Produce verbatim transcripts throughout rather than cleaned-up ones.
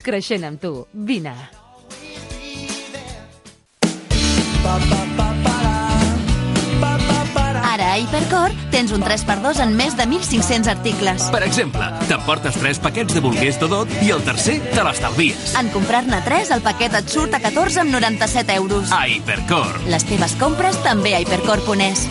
Creixent amb tu. Vine. Ara a Hipercor tens un tres per dos en més de mil cinc-cents articles. Per exemple, t'emportes tres paquets de bolguers Dodot i el tercer te l'estalvies. En comprar-ne tres, el paquet et surt a catorze amb noranta-set euros. A Hipercor. Les teves compres també a hipercor punt es.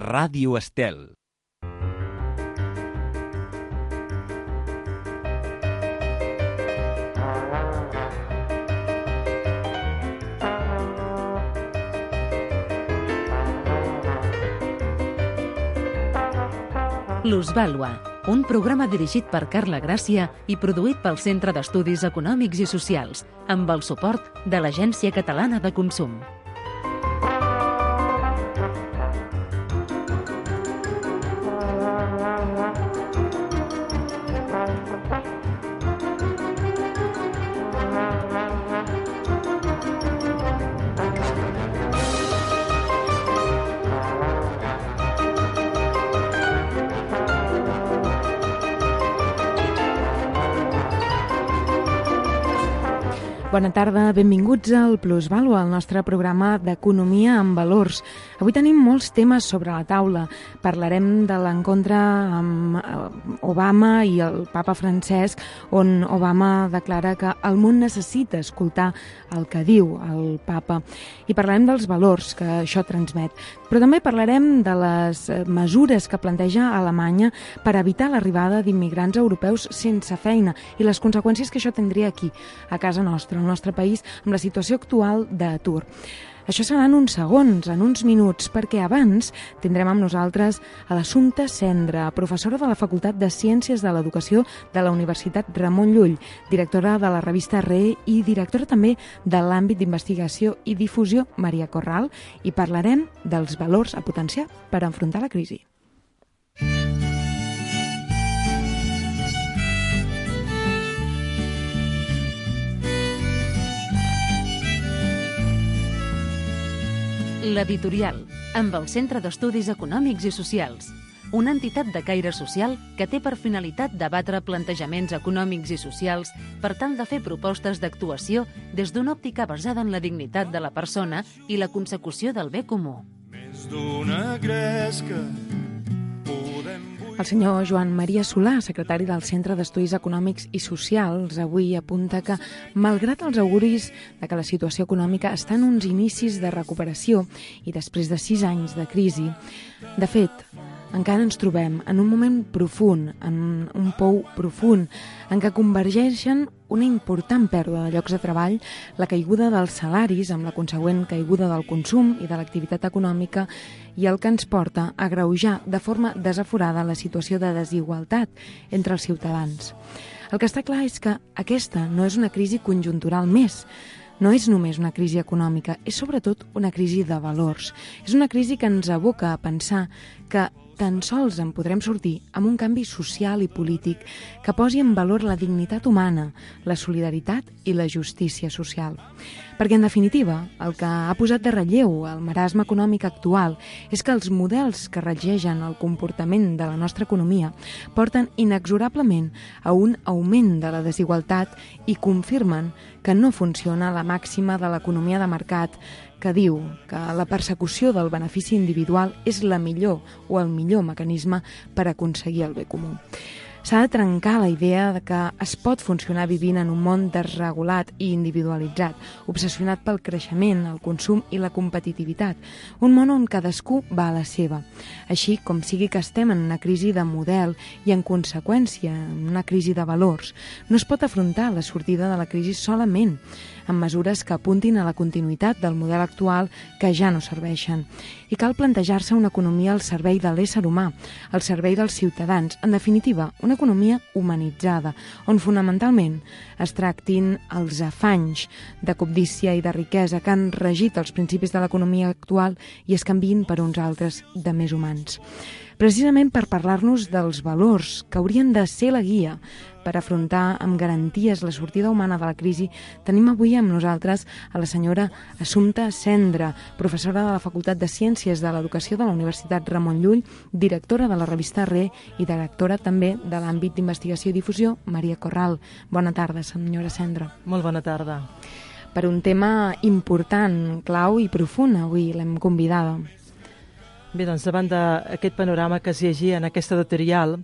Ràdio Estel. L'Us Vàlua, un programa dirigit per Carla Gràcia i produït pel Centre d'Estudis Econòmics i Socials, amb el suport de l'Agència Catalana de Consum. Bona tarda, benvinguts al Plusvàlua, el nostre programa d'economia amb valors. Avui tenim molts temes sobre la taula. Parlarem de l'encontre amb Obama i el papa Francesc, on Obama declara que el món necessita escoltar el que diu el papa. I parlarem dels valors que això transmet. Però també parlarem de les mesures que planteja Alemanya per evitar l'arribada d'immigrants europeus sense feina i les conseqüències que això tindria aquí, a casa nostra, al nostre país, amb la situació actual d'atur. Això serà en uns segons, en uns minuts, perquè abans tindrem amb nosaltres a l'Assumpta Cendra, professora de la Facultat de Ciències de l'Educació de la Universitat Ramon Llull, directora de la revista R E i directora també de l'àmbit d'investigació i difusió Maria Corral, i parlarem dels valors a potenciar per enfrontar la crisi. L'Editorial, amb el Centre d'Estudis Econòmics i Socials, una entitat de caire social que té per finalitat debatre plantejaments econòmics i socials per tal de fer propostes d'actuació des d'una òptica basada en la dignitat de la persona i la consecució del bé comú. Més d'una gresca podem... El senyor Joan Maria Solà, secretari del Centre d'Estudis Econòmics i Socials, avui apunta que, malgrat els auguris de que la situació econòmica està en uns inicis de recuperació i després de sis anys de crisi, de fet, encara ens trobem en un moment profund, en un pou profund, en què convergeixen una important pèrdua de llocs de treball, la caiguda dels salaris amb la consegüent caiguda del consum i de l'activitat econòmica i el que ens porta a agreujar de forma desaforada la situació de desigualtat entre els ciutadans. El que està clar és que aquesta no és una crisi conjuntural més, no és només una crisi econòmica, és sobretot una crisi de valors. És una crisi que ens aboca a pensar que tan sols en podrem sortir amb un canvi social i polític que posi en valor la dignitat humana, la solidaritat i la justícia social. Perquè, en definitiva, el que ha posat de relleu el marasme econòmic actual és que els models que regeixen el comportament de la nostra economia porten inexorablement a un augment de la desigualtat i confirmen que no funciona la màxima de l'economia de mercat que diu que la persecució del benefici individual és la millor o el millor mecanisme per aconseguir el bé comú. S'ha de trencar la idea de que es pot funcionar vivint en un món desregulat i individualitzat, obsessionat pel creixement, el consum i la competitivitat, un món on cadascú va a la seva. Així com sigui que estem en una crisi de model i, en conseqüència, en una crisi de valors, no es pot afrontar la sortida de la crisi solament amb mesures que apuntin a la continuïtat del model actual que ja no serveixen. I cal plantejar-se una economia al servei de l'ésser humà, al servei dels ciutadans, en definitiva, una economia humanitzada, on fonamentalment es tractin els afanys de cobdícia i de riquesa que han regit els principis de l'economia actual i es canviïn per uns altres de més humans. Precisament per parlar-nos dels valors que haurien de ser la guia per afrontar amb garanties la sortida humana de la crisi, tenim avui amb nosaltres a la senyora Assumpta Cendra, professora de la Facultat de Ciències de l'Educació de la Universitat Ramon Llull, directora de la revista Re i directora també de l'àmbit d'investigació i difusió Maria Corral. Bona tarda, senyora Cendra. Molt bona tarda. Per un tema important, clau i profund, avui l'hem convidada. Bé, doncs davant d'aquest panorama que es llegia en aquest editorial,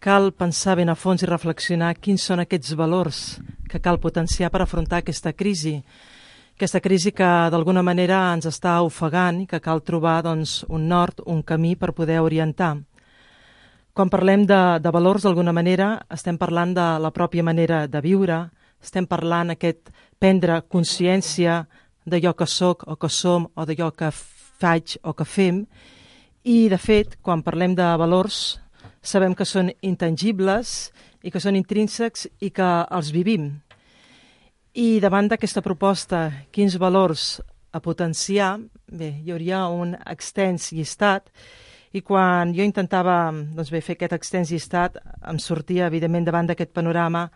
cal pensar ben a fons i reflexionar quins són aquests valors que cal potenciar per afrontar aquesta crisi. Aquesta crisi que d'alguna manera ens està ofegant i que cal trobar doncs, un nord, un camí per poder orientar. Quan parlem de, de valors, d'alguna manera, estem parlant de la pròpia manera de viure, estem parlant aquest prendre consciència d'allò que soc o que som o d'allò que faig o que fem, i de fet, quan parlem de valors, sabem que són intangibles i que són intrínsecs i que els vivim. I davant d'aquesta proposta, quins valors a potenciar, bé, hi hauria un extens llistat, i quan jo intentava doncs bé, fer aquest extens llistat, em sortia, evidentment, davant d'aquest panorama,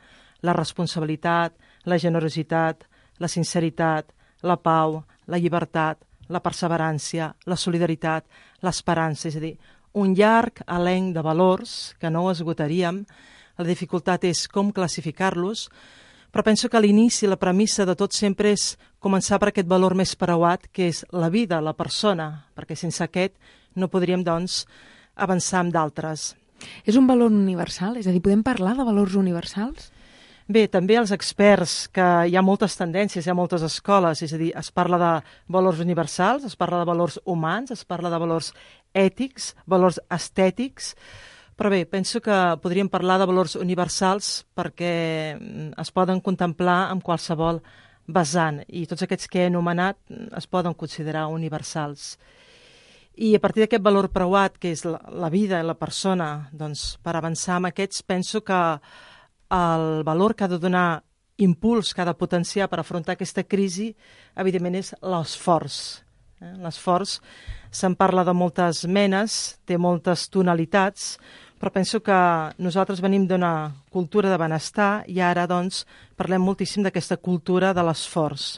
la responsabilitat, la generositat, la sinceritat, la pau, la llibertat, la perseverància, la solidaritat, l'esperança, és a dir, un llarg elenc de valors que no ho esgotaríem. La dificultat és com classificar-los, però penso que l'inici, la premissa de tot sempre és començar per aquest valor més preuat, que és la vida, la persona, perquè sense aquest no podríem, doncs, avançar amb d'altres. És un valor universal? És a dir, podem parlar de valors universals? Bé, també els experts, que hi ha moltes tendències, hi ha moltes escoles, és a dir, es parla de valors universals, es parla de valors humans, es parla de valors ètics, valors estètics, però bé, penso que podríem parlar de valors universals perquè es poden contemplar amb qualsevol vessant, i tots aquests que he anomenat es poden considerar universals. I a partir d'aquest valor preuat, que és la, la vida i la persona, doncs, per avançar amb aquests, penso que el valor que ha de donar impuls, que ha de potenciar per afrontar aquesta crisi, evidentment és l'esforç. Eh? L'esforç se'n parla de moltes menes, té moltes tonalitats, però penso que nosaltres venim d'una cultura de benestar i ara doncs parlem moltíssim d'aquesta cultura de l'esforç.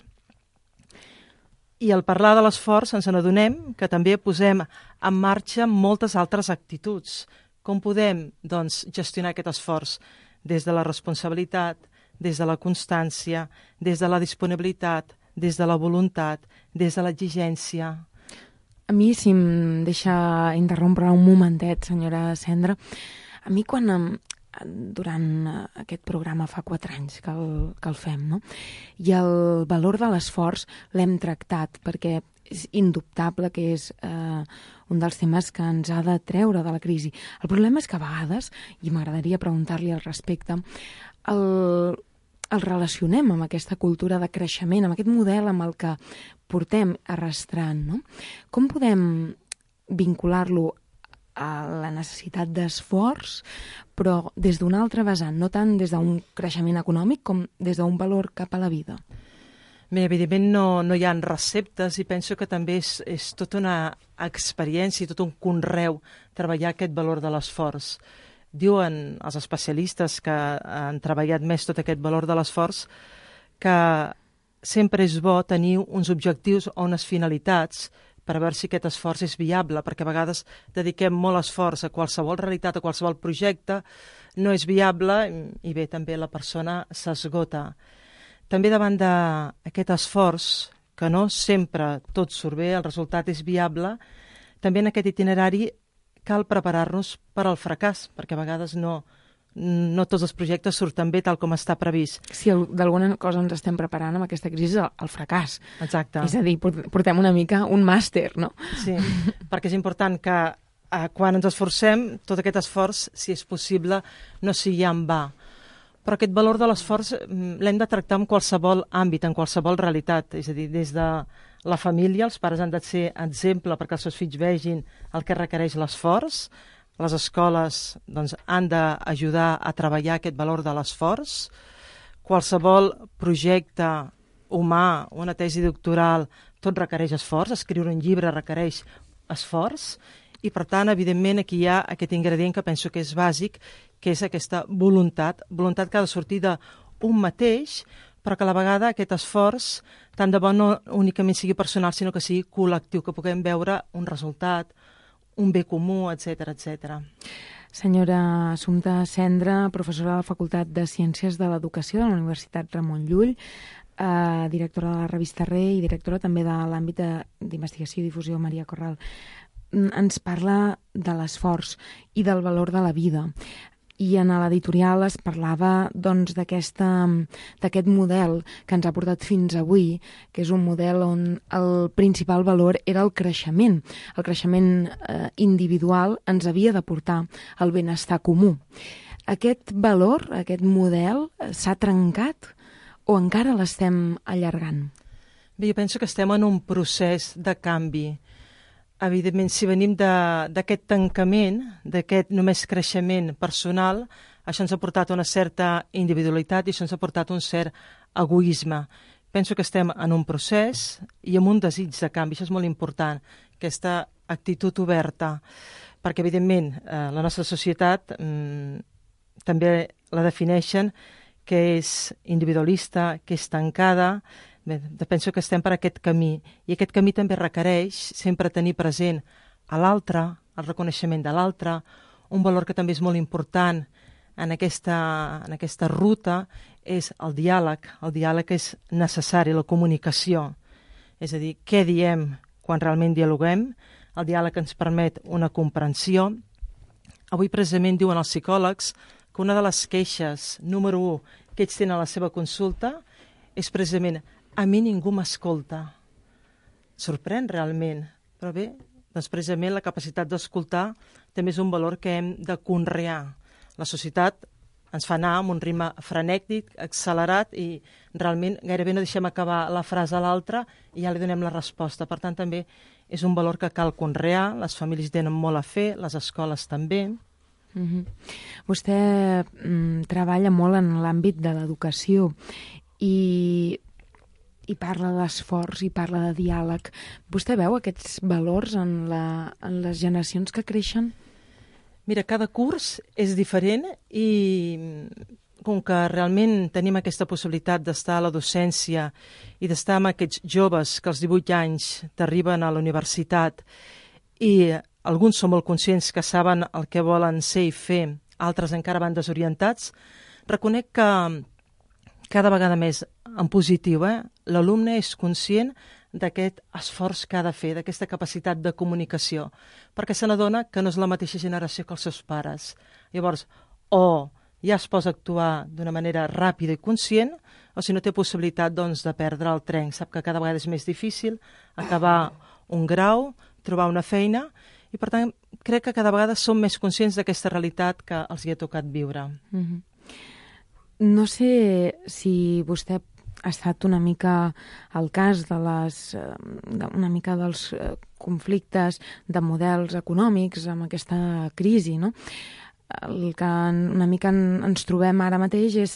I al parlar de l'esforç ens n'adonem que també posem en marxa moltes altres actituds. Com podem doncs, gestionar aquest esforç? Des de la responsabilitat, des de la constància, des de la disponibilitat, des de la voluntat, des de l'exigència. A mi, si em deixa interrompre un momentet, senyora Cendra, a mi quan durant aquest programa fa quatre anys que el, que el fem, no? I el valor de l'esforç l'hem tractat perquè és indubtable que és eh, un dels temes que ens ha de treure de la crisi. El problema és que a vegades, i m'agradaria preguntar-li al respecte, el, el relacionem amb aquesta cultura de creixement, amb aquest model amb el que portem arrastrant, no? Com podem vincular-lo a la necessitat d'esforç, però des d'un altre vessant, no tant des d'un creixement econòmic com des d'un valor cap a la vida? Bé, evidentment no, no hi ha receptes i penso que també és, és tota una experiència, tot un conreu treballar aquest valor de l'esforç. Diuen els especialistes que han treballat més tot aquest valor de l'esforç que sempre és bo tenir uns objectius o unes finalitats per veure si aquest esforç és viable, perquè a vegades dediquem molt esforç a qualsevol realitat, a qualsevol projecte, no és viable i bé, també la persona s'esgota. També davant d'aquest esforç, que no sempre tot surt bé, el resultat és viable, també en aquest itinerari cal preparar-nos per al fracàs, perquè a vegades no, no tots els projectes surten bé tal com està previst. Si d'alguna cosa ens estem preparant amb aquesta crisi, el, el fracàs. Exacte. És a dir, portem una mica un màster, no? Sí, perquè és important que eh, quan ens esforcem, tot aquest esforç, si és possible, no sigui en va. Però aquest valor de l'esforç l'hem de tractar en qualsevol àmbit, en qualsevol realitat. És a dir, des de la família, els pares han de ser exemple perquè els seus fills vegin el que requereix l'esforç, les escoles doncs, han d'ajudar a treballar aquest valor de l'esforç. Qualsevol projecte humà, una tesi doctoral, tot requereix esforç, escriure un llibre requereix esforç, i per tant, evidentment, aquí hi ha aquest ingredient que penso que és bàsic, que és aquesta voluntat, voluntat que ha de sortir d'un mateix, però que a la vegada aquest esforç tant de bo no únicament sigui personal, sinó que sigui col·lectiu, que puguem veure un resultat, un bé comú, etcètera, etcètera. Senyora Assumpta Cendra, professora de la Facultat de Ciències de l'Educació de la Universitat Ramon Llull, eh, directora de la revista Re i directora també de l'àmbit d'investigació i difusió Maria Corral, ens parla de l'esforç i del valor de la vida. I en l'editorial es parlava doncs, d'aquest model que ens ha portat fins avui, que és un model on el principal valor era el creixement. El creixement eh, individual ens havia de portar al benestar comú. Aquest valor, aquest model, s'ha trencat o encara l'estem allargant? Bé, jo penso que estem en un procés de canvi. Evidentment, si venim d'aquest tancament, d'aquest només creixement personal, això ens ha portat una certa individualitat i això ens ha portat un cert egoisme. Penso que estem en un procés i amb un desig de canvi, això és molt important, aquesta actitud oberta, perquè evidentment eh, la nostra societat mm, també la defineixen que és individualista, que és tancada. Bé, penso que estem per aquest camí i aquest camí també requereix sempre tenir present a l'altre, el reconeixement de l'altre, un valor que també és molt important en aquesta, en aquesta ruta és el diàleg. El diàleg és necessari, la comunicació, és a dir, què diem quan realment dialoguem. El diàleg ens permet una comprensió. Avui precisament diuen els psicòlegs que una de les queixes número u que ells tenen a la seva consulta és precisament a mi ningú m'escolta. Sorprèn realment, però bé, doncs precisament la capacitat d'escoltar també és un valor que hem de conrear. La societat ens fa anar amb un ritme frenètic, accelerat, i realment gairebé no deixem acabar la frase a l'altra i ja li donem la resposta. Per tant, també és un valor que cal conrear, les famílies tenen molt a fer, les escoles també. Mm-hmm. Vostè mm, treballa molt en l'àmbit de l'educació i i parla d'esforç i parla de diàleg. Vostè veu aquests valors en, la, en les generacions que creixen? Mira, cada curs és diferent i com que realment tenim aquesta possibilitat d'estar a la docència i d'estar amb aquests joves que als divuit anys t'arriben a la universitat i alguns són molt conscients que saben el que volen ser i fer, altres encara van desorientats, reconec que cada vegada més en positiu, eh? L'alumne és conscient d'aquest esforç que ha de fer, d'aquesta capacitat de comunicació, perquè se n'adona que no és la mateixa generació que els seus pares. Llavors, o ja es posa a actuar d'una manera ràpida i conscient, o si no té possibilitat doncs, de perdre el tren. Sap que cada vegada és més difícil acabar un grau, trobar una feina, i per tant crec que cada vegada som més conscients d'aquesta realitat que els hi ha tocat viure. Mm-hmm. No sé si vostè ha estat una mica al cas de les, una mica dels conflictes de models econòmics amb aquesta crisi, no? El que una mica ens trobem ara mateix és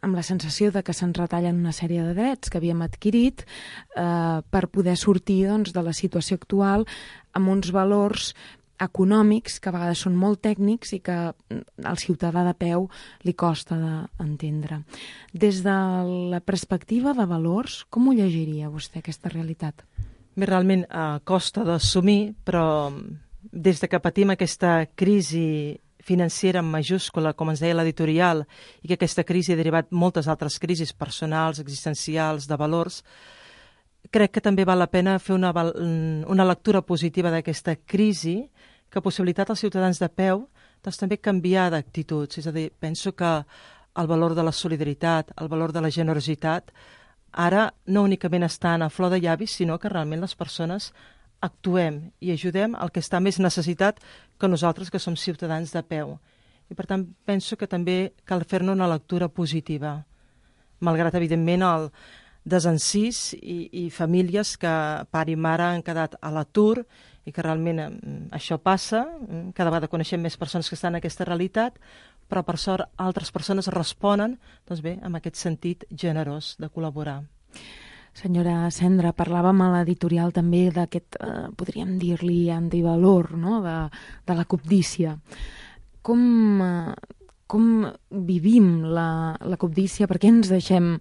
amb la sensació de que se'ns retallen una sèrie de drets que havíem adquirit eh, per poder sortir doncs, de la situació actual amb uns valors econòmics que a vegades són molt tècnics i que al ciutadà de peu li costa d'entendre. Des de la perspectiva de valors, com ho llegiria vostè, aquesta realitat? Bé, realment eh, costa d'assumir, però des de que patim aquesta crisi financera en majúscula, com ens deia l'editorial, i que aquesta crisi ha derivat moltes altres crisis personals, existencials, de valors, crec que també val la pena fer una, una lectura positiva d'aquesta crisi que ha possibilitat als ciutadans de peu doncs, també canviar d'actituds. És a dir, penso que el valor de la solidaritat, el valor de la generositat, ara no únicament estan a flor de llavis, sinó que realment les persones actuem i ajudem el que està més necessitat que nosaltres, que som ciutadans de peu. I per tant penso que també cal fer-ne una lectura positiva, malgrat evidentment el desencís i, i famílies que pare i mare han quedat a l'atur i que realment eh, això passa, cada vegada coneixem més persones que estan en aquesta realitat, però per sort altres persones responen, doncs bé, amb aquest sentit generós de col·laborar. Senyora Cendra, parlàvem a l'editorial també d'aquest, eh, podríem dir-li, antivalor, no?, de, de la cobdícia. Com, eh, com vivim la, la cobdícia? Per què ens deixem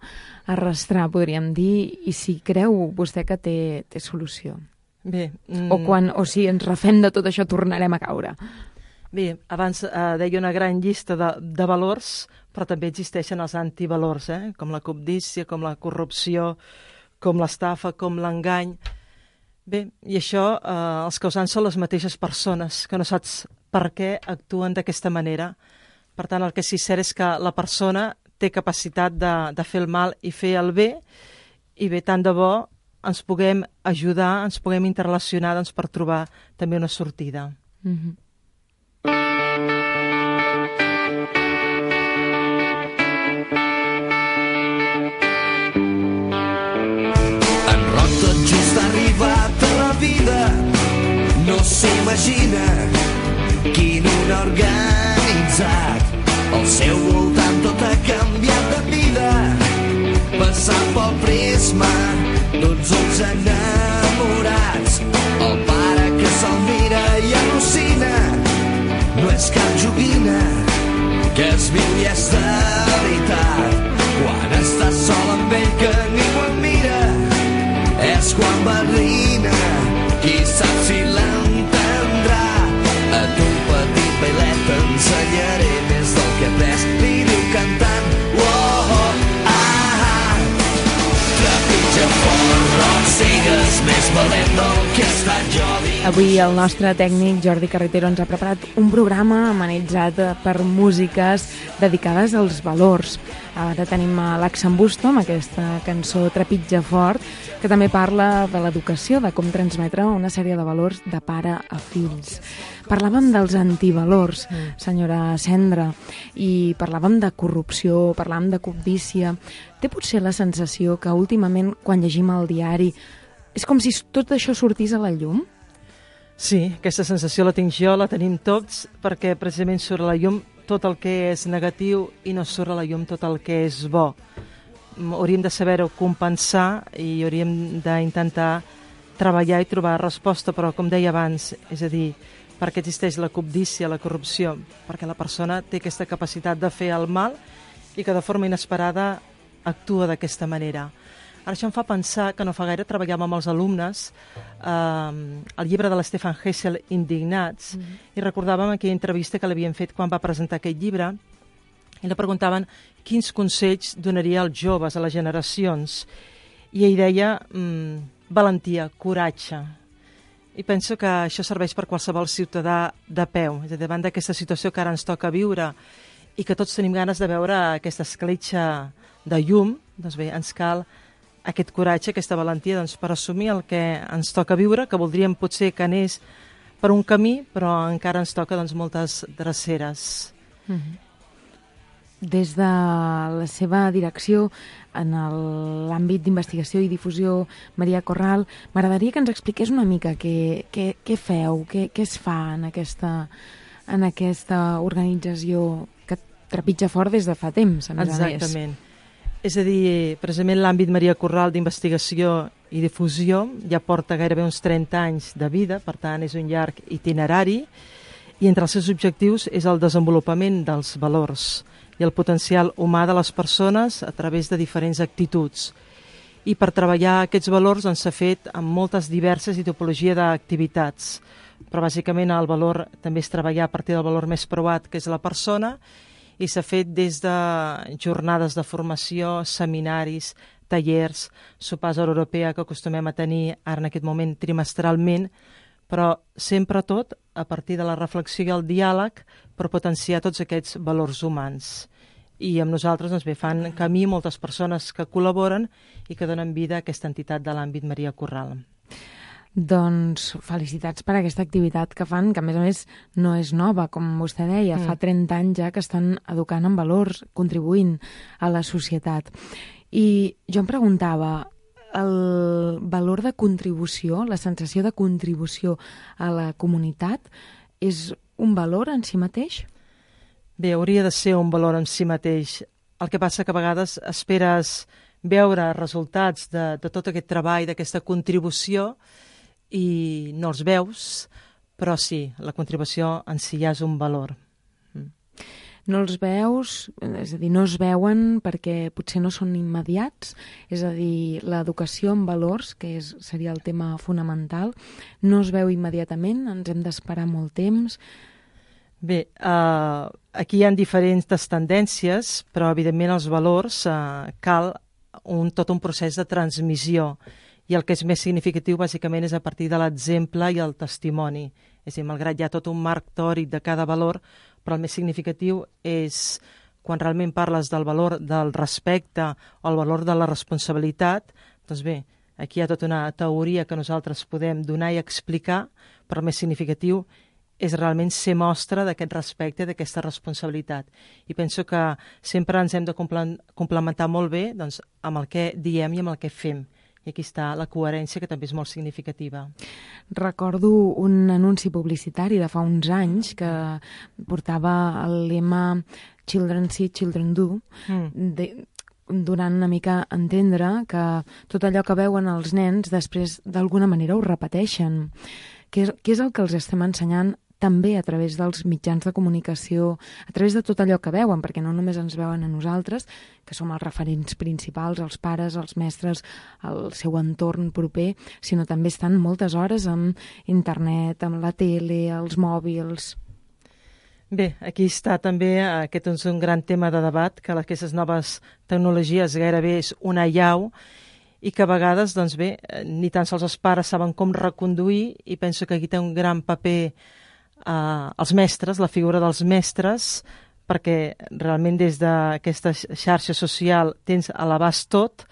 arrastrar, podríem dir, i si creu vostè que té, té solució? Bé, mm... o, quan, o si ens refem de tot això tornarem a caure? Bé, abans eh, deia una gran llista de, de valors, però també existeixen els antivalors, eh? Com la cobdícia, com la corrupció, com l'estafa, com l'engany. Bé, i això, eh, els causants són les mateixes persones, que no saps per què actuen d'aquesta manera. Per tant, el que sí cert és que la persona té capacitat de, de fer el mal i fer el bé, i bé, tant de bo ens puguem ajudar, ens puguem interrelacionar doncs, per trobar també una sortida. Mm-hmm. Arribat a la vida, no s'imagina quin un organitzat. Al seu voltant tot ha canviat de vida, passant pel prisma d'uns ulls enamorats. El pare que se'l mira i al·lucina, no és cap joguina, que es viu i és de veritat. Quan estàs sol amb ell que ningú el mira, és quan barrina, qui sap si l'entendrà. A tu petit bailet t'ensenyaré més del que he après, li diu cantant. Oh, oh, ah, ah. Trepitja fort, no sigues més valent del que he estat jo. Avui el nostre tècnic Jordi Carretero ens ha preparat un programa amenitzat per músiques dedicades als valors. Ara tenim l'Axambusto amb aquesta cançó Trepitja fort, que també parla de l'educació, de com transmetre una sèrie de valors de pare a fills. Parlàvem dels antivalors, senyora Cendra, i parlàvem de corrupció, parlàvem de cobdícia. Té potser la sensació que últimament, quan llegim el diari, és com si tot això sortís a la llum? Sí, aquesta sensació la tinc jo, la tenim tots, perquè precisament surt a la llum tot el que és negatiu i no surt a la llum tot el que és bo. Hauríem de saber-ho compensar i hauríem d'intentar treballar i trobar resposta, però com deia abans, és a dir, perquè existeix la cobdícia, la corrupció, perquè la persona té aquesta capacitat de fer el mal i que de forma inesperada actua d'aquesta manera. Ara això em fa pensar que no fa gaire treballàvem amb els alumnes eh, el llibre de l'Stefan Hessel, Indignats, mm-hmm. i recordàvem aquella entrevista que l'havien fet quan va presentar aquest llibre i li preguntaven quins consells donaria als joves, a les generacions, i ell deia mm, valentia, coratge. I penso que això serveix per qualsevol ciutadà de peu, és a dir, davant d'aquesta situació que ara ens toca viure i que tots tenim ganes de veure aquesta escletxa de llum, doncs bé, ens cal aquest coratge, aquesta valentia doncs, per assumir el que ens toca viure, que voldríem potser que anés per un camí, però encara ens toca doncs, moltes dreceres. Mm-hmm. Des de la seva direcció en l'àmbit d'investigació i difusió, Maria Corral, m'agradaria que ens expliqués una mica què, què, què feu, què, què es fa en aquesta, en aquesta organització que trepitja fort des de fa temps, a més a més. Exactament. És a dir, precisament l'àmbit Maria Corral d'investigació i difusió ja porta gairebé uns trenta anys de vida, per tant és un llarg itinerari, i entre els seus objectius és el desenvolupament dels valors i el potencial humà de les persones a través de diferents actituds. I per treballar aquests valors doncs, s'ha fet amb moltes diverses i tipologia d'activitats, però bàsicament el valor també és treballar a partir del valor més preuat, que és la persona, i s'ha fet des de jornades de formació, seminaris, tallers, sopars a l'europea que acostumem a tenir ara en aquest moment trimestralment, però sempre tot a partir de la reflexió i el diàleg per potenciar tots aquests valors humans. I amb nosaltres doncs, bé, fan camí moltes persones que col·laboren i que donen vida a aquesta entitat de l'àmbit Maria Corral. Doncs felicitats per aquesta activitat que fan, que a més a més no és nova, com vostè deia, mm. fa trenta anys ja que estan educant en valors, contribuint a la societat. I jo em preguntava, el valor de contribució, la sensació de contribució a la comunitat, és un valor en si mateix? Bé, hauria de ser un valor en si mateix. El que passa que a vegades esperes veure resultats de, de tot aquest treball, d'aquesta contribució, i no els veus, però sí, la contribució en si ja és un valor. No els veus, és a dir, no es veuen perquè potser no són immediats, és a dir, l'educació en valors, que és, seria el tema fonamental, no es veu immediatament, ens hem d'esperar molt temps. Bé, eh, aquí hi ha diferents tendències, però evidentment els valors eh, cal un, tot un procés de transmissió, i el que és més significatiu bàsicament és a partir de l'exemple i el testimoni. És a dir, malgrat hi ha tot un marc teòric de cada valor, però el més significatiu és quan realment parles del valor del respecte o el valor de la responsabilitat, doncs bé, aquí hi ha tota una teoria que nosaltres podem donar i explicar, però el més significatiu és realment ser mostra d'aquest respecte, d'aquesta responsabilitat. I penso que sempre ens hem de complementar molt bé doncs, amb el que diem i amb el que fem. I aquí està la coherència, que també és molt significativa. Recordo un anunci publicitari de fa uns anys que portava el lema Children See, Children Do, mm. de, donant una mica a entendre que tot allò que veuen els nens després d'alguna manera ho repeteixen. Què és, què és el que els estem ensenyant també a través dels mitjans de comunicació, a través de tot allò que veuen, perquè no només ens veuen a nosaltres, que som els referents principals, els pares, els mestres, el seu entorn proper, sinó també estan moltes hores amb internet, amb la tele, els mòbils. Bé, aquí està també, aquest és un gran tema de debat, que aquestes noves tecnologies gairebé és una allau, i que a vegades, doncs bé, ni tan sols els pares saben com reconduir, i penso que aquí té un gran paper Uh, els mestres, la figura dels mestres, perquè realment des d'aquesta xarxa social tens a l'abast tot,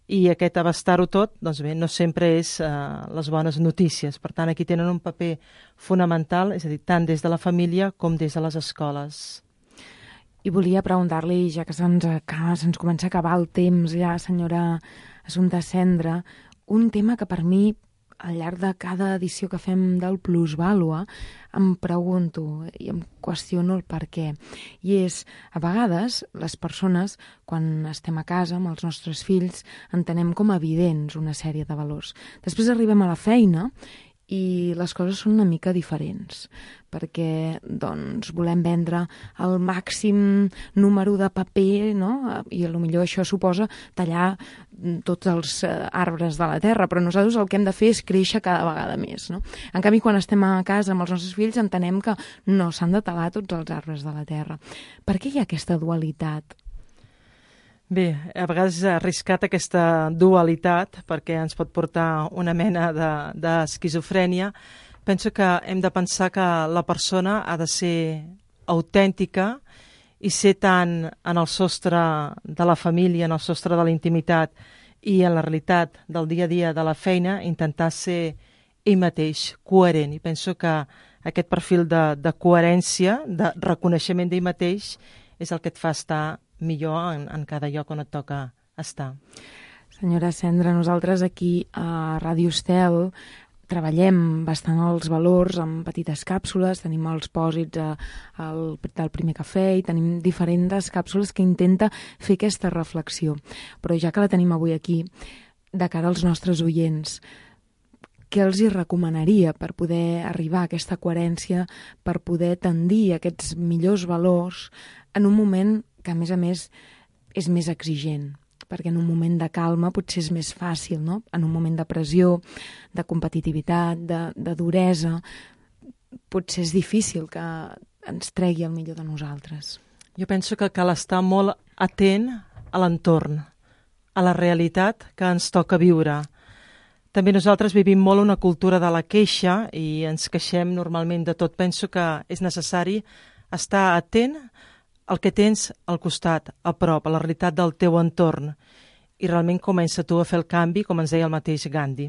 i aquest abastar-ho tot, doncs bé, no sempre és uh, les bones notícies. Per tant, aquí tenen un paper fonamental, és a dir, tant des de la família com des de les escoles. I volia preguntar-li, ja que se'ns se'ns comença a acabar el temps ja, senyora Assumpta Cendra, un tema que per mi, al llarg de cada edició que fem del Plusvàlua, em pregunto i em qüestiono el per què. I és, a vegades, les persones, quan estem a casa amb els nostres fills, entenem com evidents una sèrie de valors. Després arribem a la feina i les coses són una mica diferents, perquè doncs, volem vendre el màxim número de paper, no? I potser això suposa tallar tots els arbres de la terra, però nosaltres el que hem de fer és créixer cada vegada més. No? En canvi, quan estem a casa amb els nostres fills, entenem que no s'han de talar tots els arbres de la terra. Per què hi ha aquesta dualitat? Bé, a vegades és arriscat aquesta dualitat perquè ens pot portar una mena d'esquizofrènia. Penso que hem de pensar que la persona ha de ser autèntica i ser tant en el sostre de la família, en el sostre de la intimitat i en la realitat del dia a dia de la feina, intentar ser ell mateix, coherent. I penso que aquest perfil de, de coherència, de reconeixement d'ell mateix, és el que et fa estar millor en, en cada lloc on et toca estar. Senyora Cendra, nosaltres aquí a Ràdio Estel treballem bastant els valors amb petites càpsules, tenim els pòsits a, al, del primer cafè i tenim diferents càpsules que intenta fer aquesta reflexió. Però ja que la tenim avui aquí, de cara als nostres oients, què els hi recomanaria per poder arribar a aquesta coherència, per poder tendir a aquests millors valors en un moment que, a més a més, és més exigent? Perquè en un moment de calma potser és més fàcil, no? En un moment de pressió, de competitivitat, de, de duresa, potser és difícil que ens tregui el millor de nosaltres. Jo penso que cal estar molt atent a l'entorn, a la realitat que ens toca viure. També nosaltres vivim molt una cultura de la queixa i ens queixem normalment de tot. Penso que és necessari estar atent el que tens al costat, a prop, a la realitat del teu entorn. I realment comença tu a fer el canvi, com ens deia el mateix Gandhi.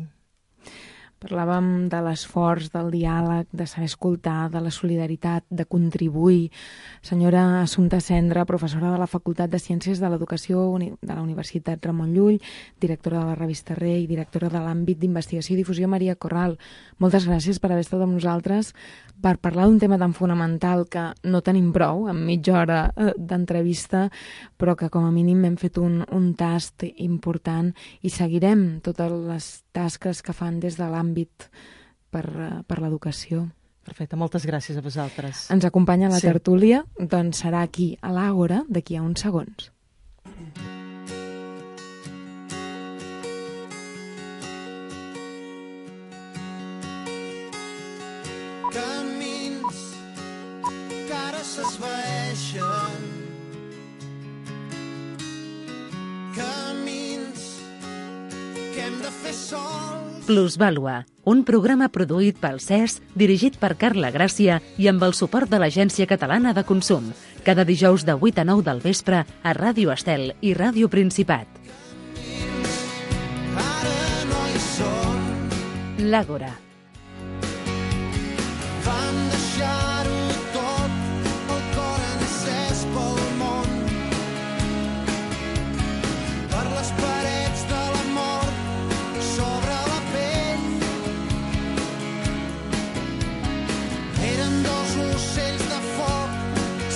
Parlàvem de l'esforç, del diàleg, de saber escoltar, de la solidaritat, de contribuir. Senyora Assumpta Cendra, professora de la Facultat de Ciències de l'Educació de la Universitat Ramon Llull, directora de la revista Rei i directora de l'àmbit d'investigació i difusió Maria Corral. Moltes gràcies per haver estat amb nosaltres per parlar d'un tema tan fonamental que no tenim prou en mitja hora d'entrevista, però que com a mínim hem fet un, un tast important i seguirem totes les tasques que fan des de l'àmbit per, per l'educació. Perfecte, moltes gràcies a vosaltres. Ens acompanya la Sí. tertúlia, doncs serà aquí a l'Àgora d'aquí a uns segons. Camins que ara s'esvaeixen, camins que hem de fer sols. Plusvàlua, un programa produït pel C E S, dirigit per Carla Gràcia i amb el suport de l'Agència Catalana de Consum. Cada dijous de vuit a nou del vespre a Ràdio Estel i Ràdio Principat. Ara no hi són, L'Àgora. van deixar-ho tot, el cor encès pel món, per les parets de la mort, sobre la pell. Eren dos ocells de foc,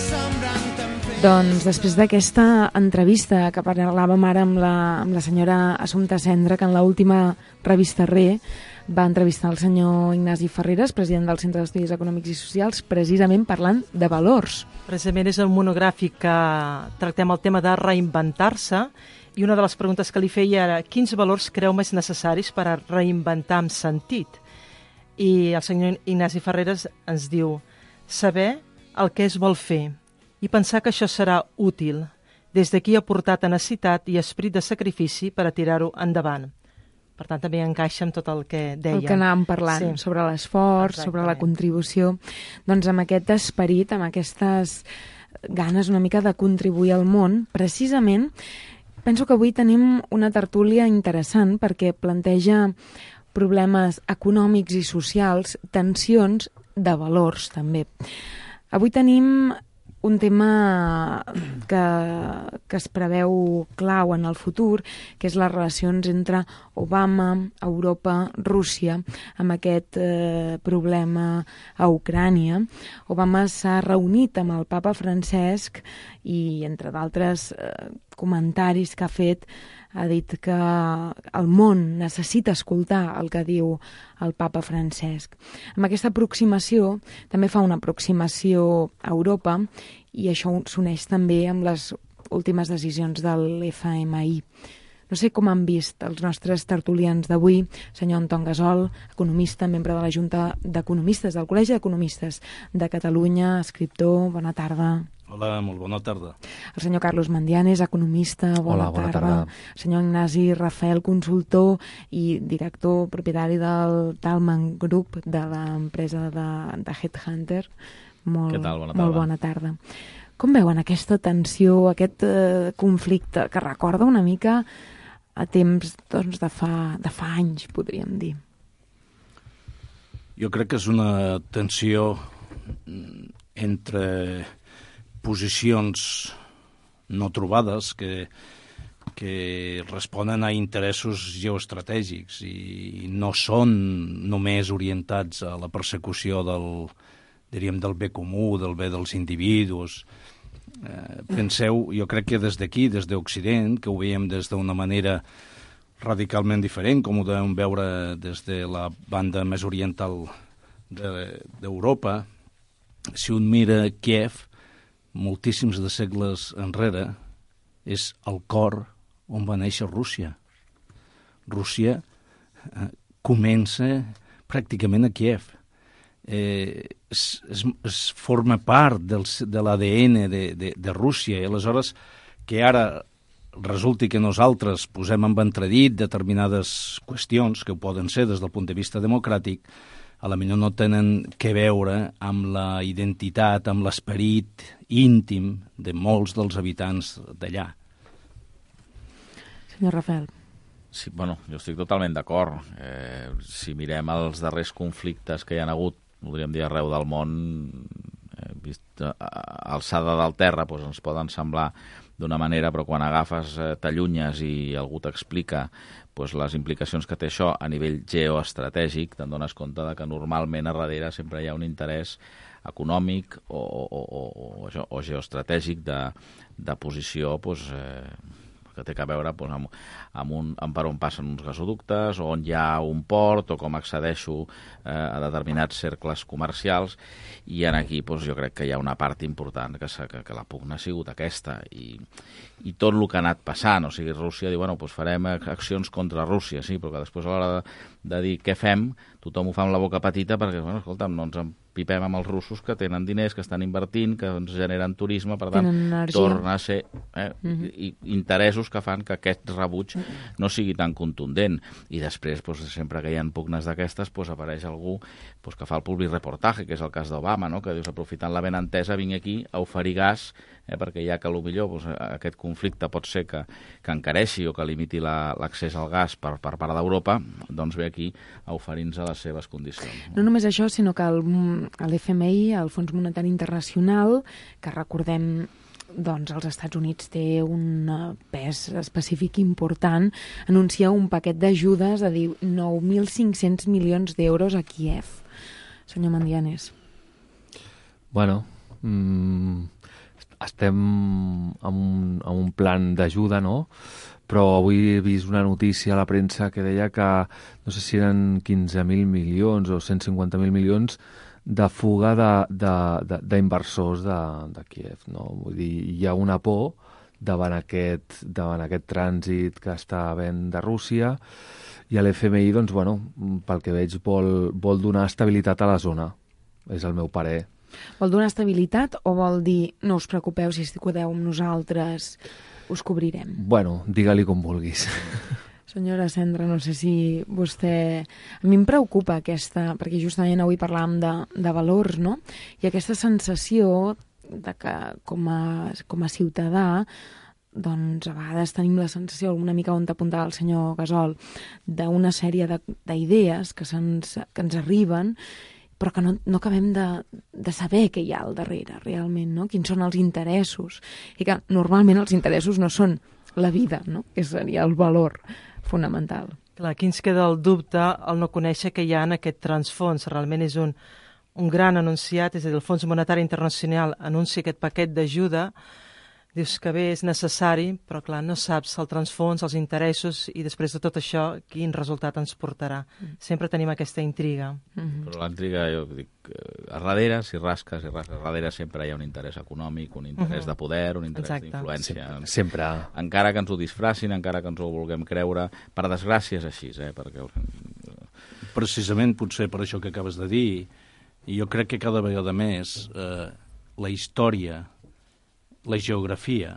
sembrant tempest. Doncs després d'aquesta entrevista que parlàvem ara amb la, amb la senyora Assumpta Cendra, que en l'última revista Re va entrevistar el senyor Ignasi Ferreres, president del Centre d'Estudis Econòmics i Socials, precisament parlant de valors. Precisament és el monogràfic que tractem el tema de reinventar-se i una de les preguntes que li feia era quins valors creu més necessaris per a reinventar amb sentit? I el senyor Ignasi Ferreres ens diu saber el que es vol fer i pensar que això serà útil. Des d'aquí ha portat tenacitat i esprit de sacrifici per a tirar-ho endavant. Per tant, també encaixa amb tot el que deia. El que anàvem parlant, Sí. sobre l'esforç, sobre la contribució. Doncs amb aquest esperit, amb aquestes ganes una mica de contribuir al món, precisament, penso que avui tenim una tertúlia interessant perquè planteja problemes econòmics i socials, tensions de valors, també. Avui tenim un tema que, que es preveu clau en el futur, que és les relacions entre Obama, Europa, Rússia, amb aquest eh, problema a Ucrània. Obama s'ha reunit amb el papa Francesc i, entre d'altres eh, comentaris que ha fet, ha dit que el món necessita escoltar el que diu el papa Francesc. Amb aquesta aproximació també fa una aproximació a Europa i això s'uneix també amb les últimes decisions del F M I. No sé com han vist els nostres tertulians d'avui, senyor Anton Gasol, economista, membre de la Junta d'Economistes, del Col·legi d'Economistes de Catalunya, escriptor, bona tarda. Hola, molt bona tarda. El senyor Carlos Mandianes, economista, bona, Hola, bona tarda. tarda. El senyor Ignasi Rafael, consultor i director propietari del Talman Group, de l'empresa de, de Headhunter. Molt, Què tal? Bona molt tarda. bona tarda. Com veuen aquesta tensió, aquest eh, conflicte que recorda una mica a temps doncs, de, fa, de fa anys, podríem dir? Jo crec que és una tensió entre posicions no trobades que, que responen a interessos geoestratègics i no són només orientats a la persecució del, diríem, del bé comú, del bé dels individus. Eh, penseu, jo crec que des d'aquí, des d'Occident, que ho veiem des d'una manera radicalment diferent, com ho devem veure des de la banda més oriental d'Europa, si un mira Kiev, moltíssims de segles enrere, és el cor on va néixer Rússia. Rússia eh, comença pràcticament a Kiev. Eh, es, es, es forma part del, de l'A D N de, de, de Rússia, i aleshores que ara resulti que nosaltres posem en entredit determinades qüestions que ho poden ser des del punt de vista democràtic, a la millor no tenen que veure amb la identitat, amb l'esperit íntim de molts dels habitants d'allà. Senyor Rafael. Sí, bueno, jo estic totalment d'acord. Eh, si mirem els darrers conflictes que hi ha hagut, podríem dir arreu del món, eh, vist a, a, alçada del terra, doncs ens poden semblar d'una manera, però quan agafes, eh, t'allunyes i algú t'explica doncs, les implicacions que té això a nivell geoestratègic, te'n dones compte de que normalment a darrere sempre hi ha un interès econòmic o, o, o, o, o geoestratègic de, de posició doncs, eh, que té a veure doncs, amb, amb, un, amb per on passen uns gasoductes, o on hi ha un port, o com accedeixo eh, a determinats cercles comercials, i en aquí doncs, jo crec que hi ha una part important que, que, que la pugna ha sigut aquesta, i, i tot el que ha anat passant, o sigui, Rússia diu, bueno, doncs farem accions contra Rússia, sí, però que després a l'hora de, de dir què fem, tothom ho fa amb la boca petita, perquè, bueno, escolta'm, no ens empipem amb els russos que tenen diners, que estan invertint, que ens generen turisme, per tant, torna a ser eh, mm-hmm. i, interessos que fan que aquest rebuig no sigui tan contundent. I després, doncs, sempre que hi ha pugnes d'aquestes, doncs, apareix algú doncs, que fa el public reportatge, que és el cas d'Obama, no? Que dius, aprofitant la benentesa, vinc aquí a oferir gas, eh, perquè ja que potser doncs, aquest conflicte pot ser que, que encareixi o que limiti la, l'accés al gas per, per part d'Europa, doncs ve aquí a oferir-nos a les seves condicions. No només això, sinó que l'F M I, el Fons Monetari Internacional, que recordem doncs els Estats Units té un pes específic important, anuncia un paquet d'ajudes de nou mil cinc-cents milions d'euros a Kíev. Senyor Mandianes. Bueno, mmm, estem en un, en un plan d'ajuda, no? Però avui he vist una notícia a la premsa que deia que no sé si eren quinze mil milions o cent cinquanta mil milions de fuga d'inversors de, de, de, de Kíev, no? Vull dir, hi ha una por davant aquest, davant aquest trànsit que està havent de Rússia, i l'F M I, doncs, bueno, pel que veig, vol, vol donar estabilitat a la zona. És el meu parer. Vol donar estabilitat o vol dir no us preocupeu, si estigueu amb nosaltres us cobrirem? Bueno, digue-li com vulguis. Senyora Cendra, no sé si vostè... A mi em preocupa aquesta, perquè justament avui parlàvem de, de valors, no? I aquesta sensació de que com a, com a ciutadà, doncs a vegades tenim la sensació, una mica on t'apuntava el senyor Gasol, d'una sèrie d'idees que, se'ns, que ens arriben, però que no, no acabem de, de saber què hi ha al darrere, realment, no? Quins són els interessos. I que normalment els interessos no són la vida, no? Que seria el valor fonamental. Clar, aquí ens queda el dubte al no conèixer què hi ha en aquest transfons. Realment és un, un gran anunciat, és a dir, el Fons Monetari Internacional anuncia aquest paquet d'ajuda, dius que bé, és necessari, però clar, no saps el transfons, els interessos, i després de tot això, quin resultat ens portarà. Mm. Sempre tenim aquesta intriga. Mm-hmm. Però la intriga, jo dic, a darrere, si rasques, si rasques, a darrere sempre hi ha un interès econòmic, un interès mm-hmm. de poder, un interès d'influència. Sempre, sempre. Encara que ens ho disfracin, encara que ens ho vulguem creure, per desgràcia és així, eh? Perquè... Precisament, potser per això que acabes de dir, i jo crec que cada vegada més eh, la història, la geografia,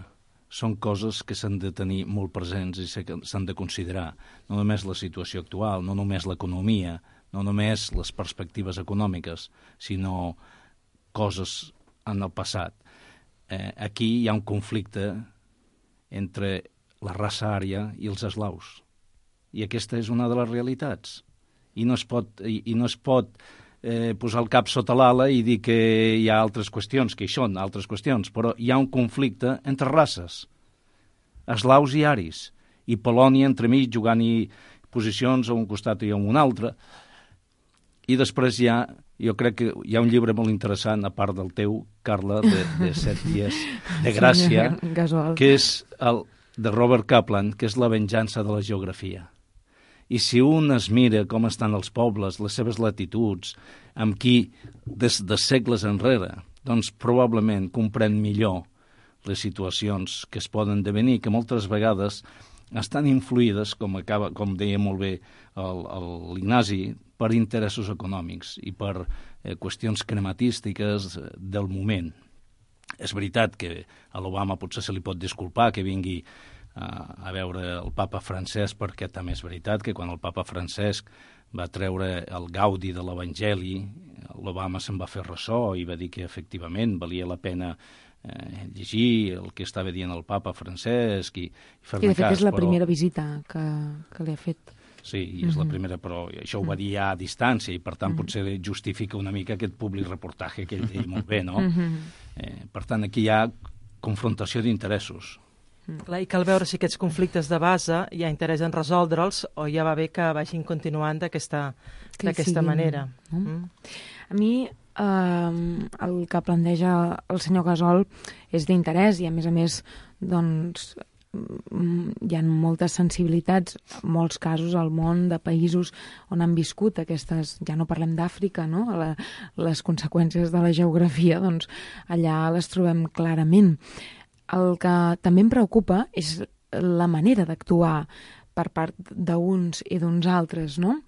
són coses que s'han de tenir molt presents i s'han de considerar. No només la situació actual, no només l'economia, no només les perspectives econòmiques, sinó coses en el passat. Eh, aquí hi ha un conflicte entre la raça ària i els eslaus. I aquesta és una de les realitats. I no es pot... I, i no es pot Eh, posar el cap sota l'ala i dir que hi ha altres qüestions, que hi són altres qüestions, però hi ha un conflicte entre races, eslaus i aris, i Polònia entremig jugant-hi posicions a un costat i a un altre. I després hi ha, jo crec que hi ha un llibre molt interessant, a part del teu, Carla, de, de set dies de gràcia, que és el de Robert Kaplan, que és La venjança de la geografia. I si un es mira com estan els pobles, les seves latituds, amb qui des de segles enrere, doncs probablement comprèn millor les situacions que es poden devenir, que moltes vegades estan influïdes, com, acaba, com deia molt bé l'Ignasi, per interessos econòmics i per eh, qüestions crematístiques del moment. És veritat que a l'Obama potser se li pot disculpar que vingui a veure el papa Francesc, perquè també és veritat que quan el papa Francesc va treure el gaudi de l'Evangeli, l'Obama se'n va fer ressò i va dir que efectivament valia la pena eh, llegir el que estava dient el papa Francesc i, i fer-ne cas. I de fet cas, és la però... primera visita que, que li ha fet. Sí, i és mm-hmm. la primera, però això ho va dir ja a distància i per tant mm-hmm. potser justifica una mica aquest públic reportatge que ell deia molt bé, no? Mm-hmm. eh, per tant, aquí hi ha confrontació d'interessos. Clar, i cal veure si aquests conflictes de base hi ha interès en resoldre'ls o ja va bé que vagin continuant d'aquesta manera. No? Mm. A mi eh, el que planteja el senyor Gasol és d'interès i a més a més doncs hi ha moltes sensibilitats, en molts casos al món de països on han viscut aquestes, ja no parlem d'Àfrica, no? La, les conseqüències de la geografia, doncs allà les trobem clarament. El que també em preocupa és la manera d'actuar per part d'uns i d'uns altres, no?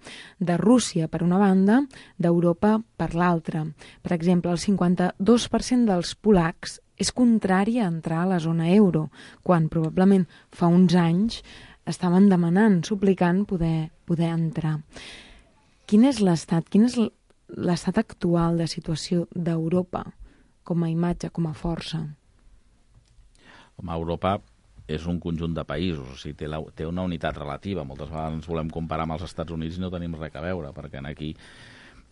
De Rússia, per una banda, d'Europa per l'altra. Per exemple, el cinquanta-dos per cent dels polacs és contrari a entrar a la zona euro, quan probablement fa uns anys estaven demanant, suplicant poder, poder entrar. Quin és l'estat, quin és l'estat actual de situació d'Europa com a imatge, com a força? Com a Europa és un conjunt de països, o sigui, té, la, té una unitat relativa. Moltes vegades ens volem comparar amb els Estats Units i no tenim res a veure, perquè aquí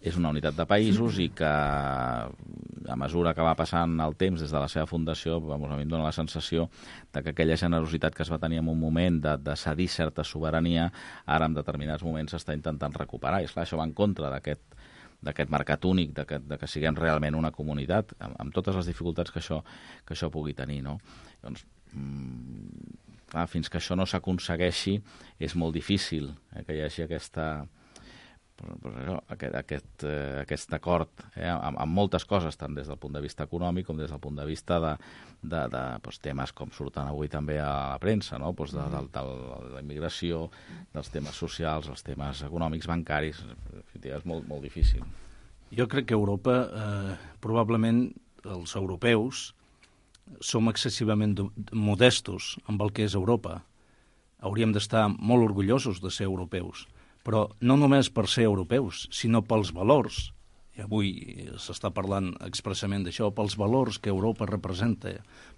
és una unitat de països i que a mesura que va passant el temps des de la seva fundació, vamos, a mi em dóna la sensació de que aquella generositat que es va tenir en un moment de, de cedir certa sobirania, ara en determinats moments s'està intentant recuperar. I esclar, això va en contra d'aquest d'aquest mercat únic, de que, de que siguem realment una comunitat, amb, amb totes les dificultats que això, que això pugui tenir, no? Doncs, mmm, clar, fins que això no s'aconsegueixi és molt difícil eh, que hi hagi aquesta... Pues això, aquest, aquest, eh, aquest acord eh, amb, amb moltes coses, tant des del punt de vista econòmic com des del punt de vista de, de, de pues, temes com surten avui també a la premsa, no? Pues de, de, de, de la immigració, dels temes socials, els temes econòmics, bancaris, és molt, molt difícil. Jo crec que Europa, eh, probablement els europeus, som excessivament modestos amb el que és Europa. Hauríem d'estar molt orgullosos de ser europeus, però no només per ser europeus, sinó pels valors, i avui s'està parlant expressament d'això, pels valors que Europa representa,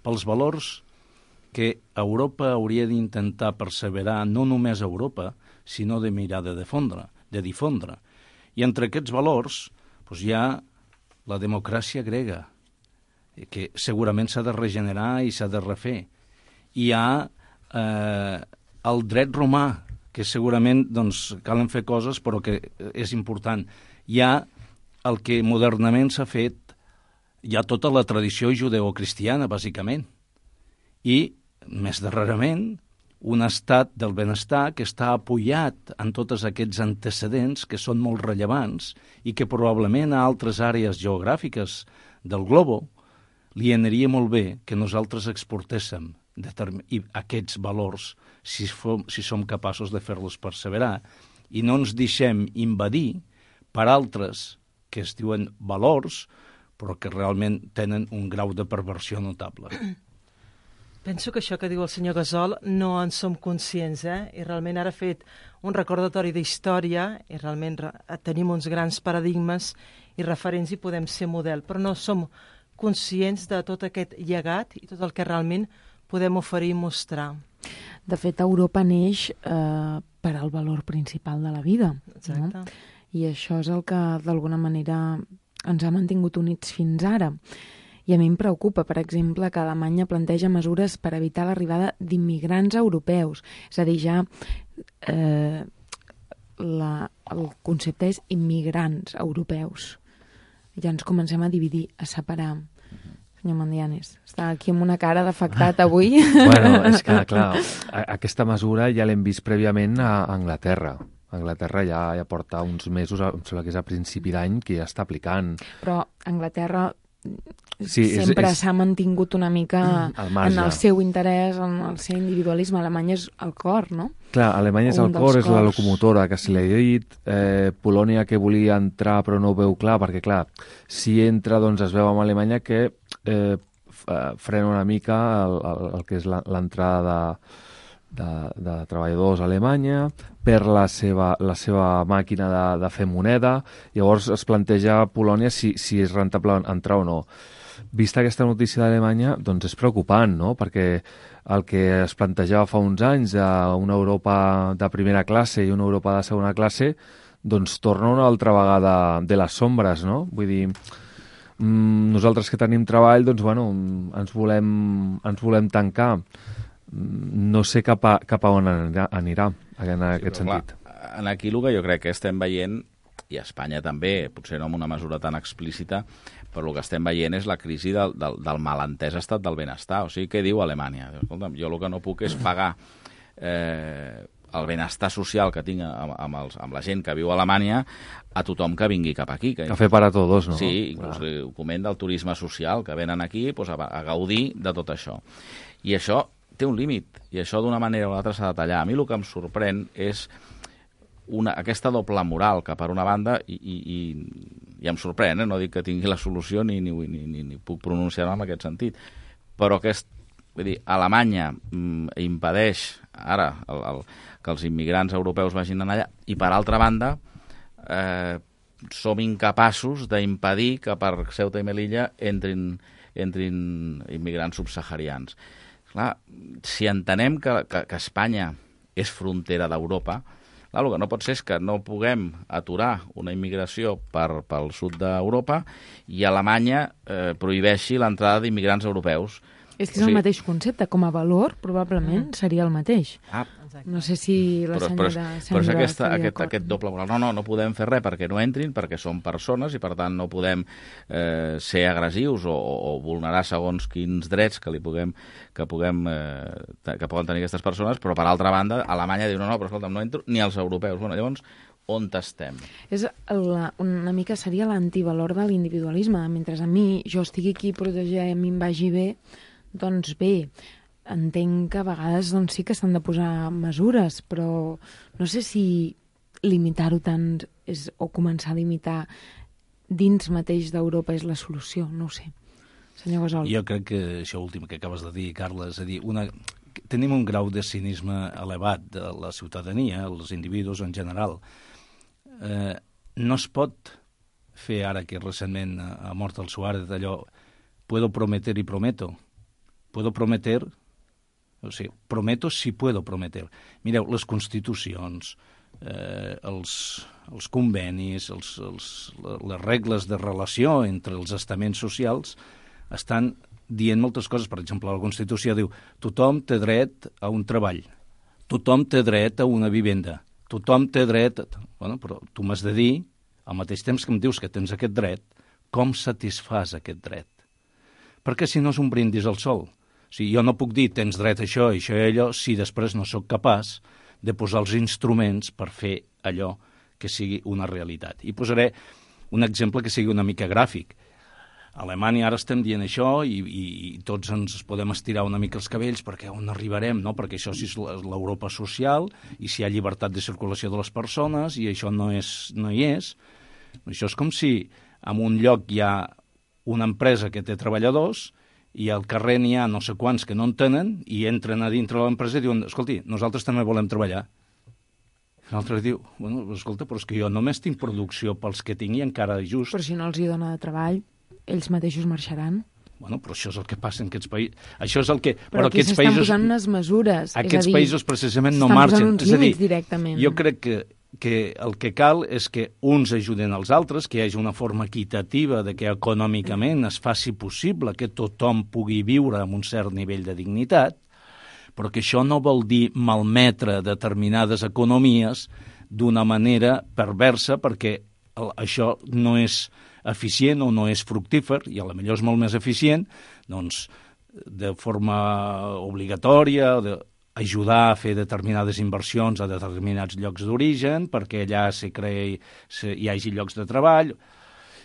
pels valors que Europa hauria d'intentar perseverar, no només a Europa, sinó de mirar de difondre, de difondre. I entre aquests valors doncs, hi ha la democràcia grega, que segurament s'ha de regenerar i s'ha de refer. Hi ha eh, el dret romà, que segurament doncs, calen fer coses, però que és important. Hi ha el que modernament s'ha fet, hi ha tota la tradició judeocristiana, bàsicament, i, més darrerament, un estat del benestar que està apoyat en tots aquests antecedents que són molt rellevants i que probablement a altres àrees geogràfiques del globo li aniria molt bé que nosaltres exportéssim i aquests valors si, fom, si som capaços de fer-los perseverar i no ens deixem invadir per altres que es diuen valors però que realment tenen un grau de perversió notable. Penso que això que diu el senyor Gasol no en som conscients, eh? I realment ara ha fet un recordatori d'història i realment tenim uns grans paradigmes i referents i podem ser model, però no som conscients de tot aquest llegat i tot el que realment podem oferir i mostrar. De fet, Europa neix eh, per al valor principal de la vida. Exacte. No? I això és el que, d'alguna manera, ens ha mantingut units fins ara. I a mi em preocupa, per exemple, que Alemanya planteja mesures per evitar l'arribada d'immigrants europeus. És a dir, ja eh, la, el concepte és immigrants europeus. Ja ens comencem a dividir, a separar. Senyor Mandianes, està aquí amb una cara d'afectat avui. Bueno, és que, clar, aquesta mesura ja l'hem vist prèviament a Anglaterra. Anglaterra ja, ja porta uns mesos, em sembla que és a principi d'any, que ja està aplicant. Però Anglaterra sí, sempre és, és... s'ha mantingut una mica en el seu interès, en el seu individualisme. Alemanya és el cor, no? Clar, Alemanya és el cor, és la locomotora que se li ha dit. Eh, Polònia que volia entrar però no ho veu clar, perquè clar, si entra doncs es veu amb Alemanya que eh, frena una mica el, el, el que és l'entrada de, de, de treballadors a Alemanya per la seva, la seva màquina de, de fer moneda. Llavors es planteja a Polònia si, si és rentable entrar o no. vista aquesta notícia d'Alemanya, doncs és preocupant, no? Perquè el que es plantejava fa uns anys a una Europa de primera classe i una Europa de segona classe, doncs torna una altra vegada de les sombres, no? Vull dir, nosaltres que tenim treball, doncs, bueno, ens volem, ens volem tancar. No sé cap a, cap a on anirà, anirà en aquest sí, sentit. Clar, en aquí el que jo crec que estem veient, i a Espanya també, potser no en una mesura tan explícita, però el que estem veient és la crisi del, del, del malentès estat del benestar. O sigui, què diu Alemanya? Escolta'm, jo el que no puc és pagar eh, el benestar social que tinc amb, amb, els, amb la gent que viu a Alemanya a tothom que vingui cap aquí. Que, Café para todos, no? Sí, inclús el document del turisme social, que venen aquí doncs, a, a gaudir de tot això. I això té un límit, i això d'una manera o l'altra s'ha de tallar. A mi el que em sorprèn és una, aquesta doble moral, que per una banda, i, i, i, i em sorprèn, eh? No dic que tingui la solució ni, ni, ni, ni, ni puc pronunciar-me en aquest sentit, però aquest, vull dir, Alemanya mm, impedeix ara el, el, que els immigrants europeus vagin allà, i per altra banda eh, som incapaços d'impedir que per Ceuta i Melilla entrin, entrin immigrants subsaharians. Clar, si entenem que, que, que Espanya és frontera d'Europa, el que no pot ser és que no puguem aturar una immigració per, pel sud d'Europa i Alemanya eh, prohibeixi l'entrada d'immigrants europeus. És que és o sigui... el mateix concepte. Com a valor, probablement, mm. seria el mateix. Ah, no sé si la però, senyora... Però, però és aquesta, aquest, aquest doble moral. No, no, no podem fer res perquè no entrin, perquè són persones i, per tant, no podem eh, ser agressius o, o vulnerar segons quins drets que li puguem, que, puguem, eh, que poden tenir aquestes persones, però, per altra banda, Alemanya diu, no, no, però escolta'm, no entro ni els europeus. Bueno, llavors, on estem? És la, una mica seria l'antivalor de l'individualisme. Mentre a mi, jo estigui aquí a protegir, a mi em vagi bé, doncs bé, entenc que a vegades doncs, sí que s'han de posar mesures, però no sé si limitar-ho tant és, o començar a limitar dins mateix d'Europa és la solució, no ho sé. Senyor Gasol. Jo crec que això últim que acabes de dir, Carla, és a dir, una... tenim un grau de cinisme elevat de la ciutadania, els individus en general. Eh, no es pot fer ara que recentment ha mort el Suárez d'allò, puedo prometer y prometo. Puedo prometer, o sigui, prometo si puedo prometer. Mireu, les constitucions, eh, els, els convenis, els, els, les regles de relació entre els estaments socials estan dient moltes coses. Per exemple, la Constitució diu tothom té dret a un treball, tothom té dret a una vivenda, tothom té dret... Bueno, però tu m'has de dir, al mateix temps que em dius que tens aquest dret, com satisfàs aquest dret. Perquè si no és un brindis al sol. O sigui, jo no puc dir tens dret a això, això i allò, si després no sóc capaç de posar els instruments per fer allò que sigui una realitat. I posaré un exemple que sigui una mica gràfic. A Alemanya ara estem dient això i, i, i tots ens podem estirar una mica els cabells perquè on arribarem, no? Perquè això sí és l'Europa social i si hi ha llibertat de circulació de les persones i això no, és, no hi és. Això és com si en un lloc hi ha una empresa que té treballadors i al carrer n'hi ha no sé quants que no en tenen i entren a dintre de l'empresa i diuen, escolti, nosaltres també volem treballar. I l'altre diu, bueno, escolta, però és que jo només tinc producció pels que tinc i encara just... Però si no els hi dona de treball, ells mateixos marxaran. Bueno, però això és el que passa en aquests països. Això és el que... Però, però aquí s'estan països, posant unes mesures. Aquests és a dir, països precisament no marxen. És a dir, directament. Jo crec que que el que cal és que uns ajuden als altres, que hi hagi una forma equitativa de que econòmicament es faci possible que tothom pugui viure amb un cert nivell de dignitat, però que això no vol dir malmetre determinades economies d'una manera perversa perquè això no és eficient o no és fructífer, i a la millor és molt més eficient, doncs de forma obligatòria, de ajudar a fer determinades inversions a determinats llocs d'origen perquè allà se creï, se, hi hagi llocs de treball.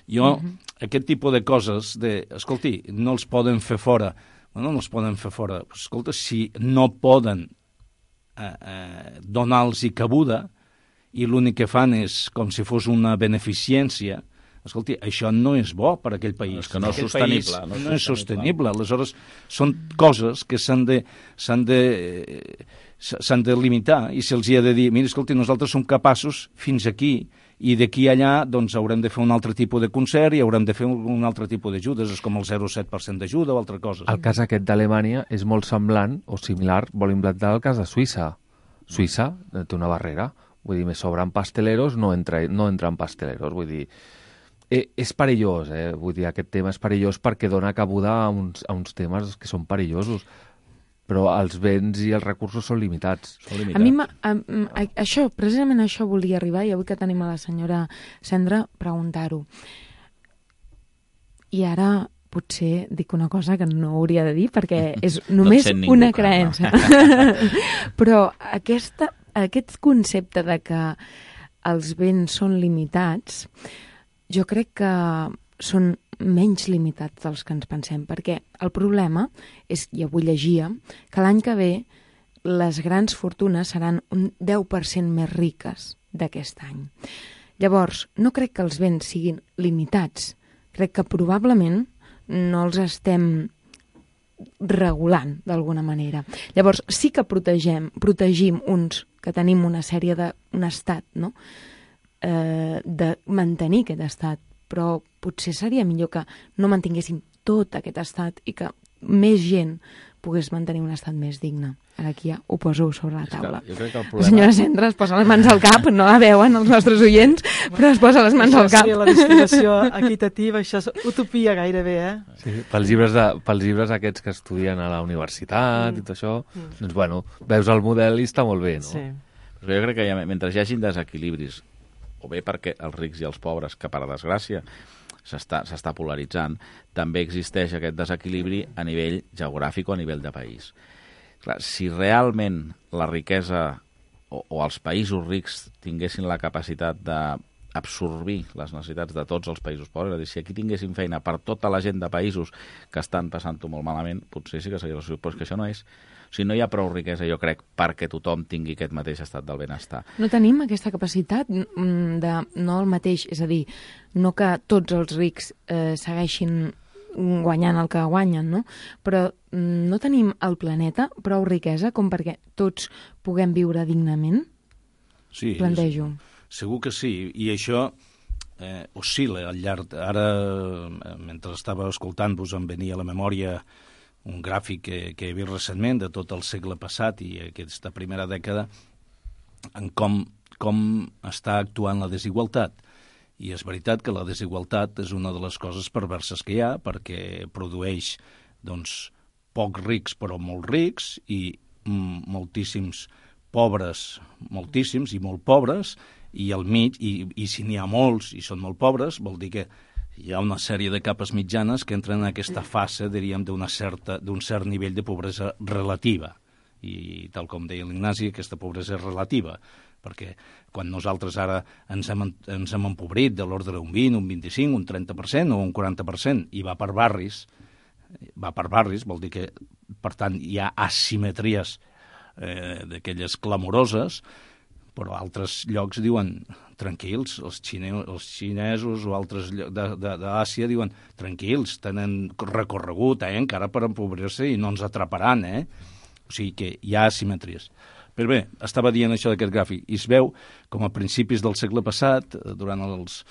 Jo, uh-huh. aquest tipus de coses, de, escolti, no els poden fer fora. Bueno, no els poden fer fora. Escolta, si no poden eh, eh, donar-los-hi cabuda i l'únic que fan és com si fos una beneficència, escolti, això no és bo per a aquell país. És que no és sostenible. No, no és sostenible. Aleshores, són coses que s'han de, s'han de, s'han de limitar i se'ls hi ha de dir, mira, escolti, nosaltres som capaços fins aquí i d'aquí allà doncs, haurem de fer un altre tipus de concert i haurem de fer un altre tipus d'ajudes, és com el zero coma set per cent d'ajuda o altra cosa. El cas aquest d'Alemanya és molt semblant o similar, vol implantar el cas de Suïssa. Suïssa té una barrera, vull dir, me sobran pasteleros, no entra, no entren pasteleros, vull dir, eh, és perillós, eh? Vull dir, aquest tema és perillós perquè dona cabuda a uns, a uns temes que són perillosos, però els béns i els recursos són limitats. Són limitats. A mi, a, a, això, precisament això volia arribar, i avui que tenim a la senyora Cendra, preguntar-ho. I ara potser dic una cosa que no hauria de dir, perquè és només no ningú, una creença. No? Però aquesta, aquest concepte de que els béns són limitats, jo crec que són menys limitats dels que ens pensem, perquè el problema és, i avui llegia, que l'any que ve les grans fortunes seran un deu per cent més riques d'aquest any. Llavors, no crec que els béns siguin limitats, crec que probablement no els estem regulant d'alguna manera. Llavors, sí que protegem, protegim uns que tenim una sèrie de... un estat, no?, eh, de mantenir aquest estat, però potser seria millor que no mantinguéssim tot aquest estat i que més gent pogués mantenir un estat més digne. Ara aquí ja ho poso sobre la taula. Jo crec que el problema... La senyora Cendra es posa les mans al cap, no la veuen els nostres oients, però es posa les mans això al cap. Això seria la destinació equitativa, això és utopia gairebé, eh? Sí, pels llibres, de, pels llibres aquests que estudien a la universitat mm. i tot això, mm. doncs bueno, veus el model i està molt bé, no? Sí. Però jo crec que ja, mentre hi hagin desequilibris, o bé perquè els rics i els pobres, que per desgràcia s'està s'està polaritzant, també existeix aquest desequilibri a nivell geogràfic o a nivell de país. Clar, si realment la riquesa o, o els països rics tinguessin la capacitat d'absorbir les necessitats de tots els països pobres, és a dir, si aquí tinguéssim feina per tota la gent de països que estan passant-ho molt malament, potser sí que seria la solució, però és que això no és. O sigui, no hi ha prou riquesa, jo crec, perquè tothom tingui aquest mateix estat del benestar. No tenim aquesta capacitat de no el mateix, és a dir, no que tots els rics eh, segueixin guanyant el que guanyen, no? Però no tenim al planeta prou riquesa com perquè tots puguem viure dignament? Sí, plantejo. Segur que sí, i això eh, oscil·la al llarg... Ara, mentre estava escoltant-vos, em venia a la memòria un gràfic que, que he vist recentment de tot el segle passat i aquesta primera dècada en com, com està actuant la desigualtat. I és veritat que la desigualtat és una de les coses perverses que hi ha, perquè produeix doncs, pocs rics però molt rics i mm, moltíssims pobres, moltíssims i molt pobres, i al mig, i, i si n'hi ha molts i són molt pobres, vol dir que hi ha una sèrie de capes mitjanes que entren en aquesta fase, diríem, d'un cert nivell de pobresa relativa. I, tal com deia l'Ignasi, aquesta pobresa és relativa, perquè quan nosaltres ara ens hem, ens hem empobrit de l'ordre d'un vint, un vint-i-cinc, un trenta per cent o un quaranta per cent, i va per barris, va per barris, vol dir que, per tant, hi ha asimetries eh, d'aquelles clamoroses, però altres llocs diuen tranquils, els, xine, els xinesos o altres d'Àsia diuen tranquils, tenen recorregut eh, encara per empobrir-se i no ens atraparan, eh? O sigui que hi ha asimetries. Però bé, estava dient això d'aquest gràfic, i es veu com a principis del segle passat, durant els,